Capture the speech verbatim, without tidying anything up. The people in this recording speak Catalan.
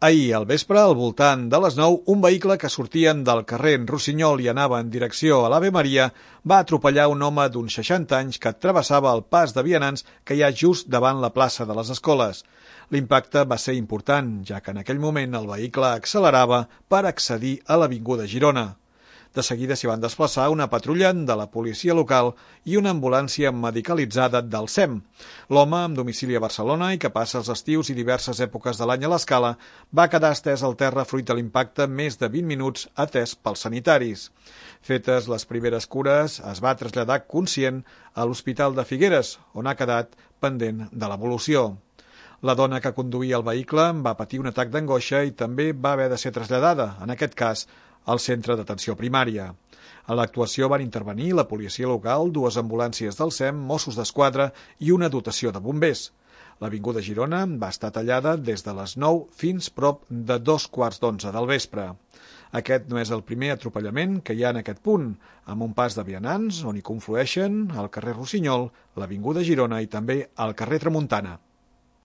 Ahir al vespre, al voltant de les nou, un vehicle que sortien del carrer Rossinyol i anava en direcció a l'Ave Maria va atropellar un home d'uns seixanta anys que travessava el pas de vianants que hi ha just davant la plaça de les Escoles. L'impacte va ser important, ja que en aquell moment el vehicle accelerava per accedir a l'Avinguda Girona. De seguida s'hi van desplaçar una patrulla de la policia local i una ambulància medicalitzada del S E M. L'home, amb domicili a Barcelona i que passa els estius i diverses èpoques de l'any a l'Escala, va quedar estès al terra fruit de l'impacte més de vint minuts atès pels sanitaris. Fetes les primeres cures, es va traslladar conscient a l'Hospital de Figueres, on ha quedat pendent de l'evolució. La dona que conduïa el vehicle va patir un atac d'angoixa i també va haver de ser traslladada, en aquest cas, al centre d'atenció primària. A l'actuació van intervenir la policia local, dues ambulàncies del S E M, Mossos d'Esquadra i una dotació de bombers. L'Avinguda Girona va estar tallada des de les nou fins prop de dos quarts d'onze del vespre. Aquest no és el primer atropellament que hi ha en aquest punt, amb un pas de vianants on hi conflueixen el carrer Rossinyol, l'Avinguda Girona i també el carrer Tramuntana.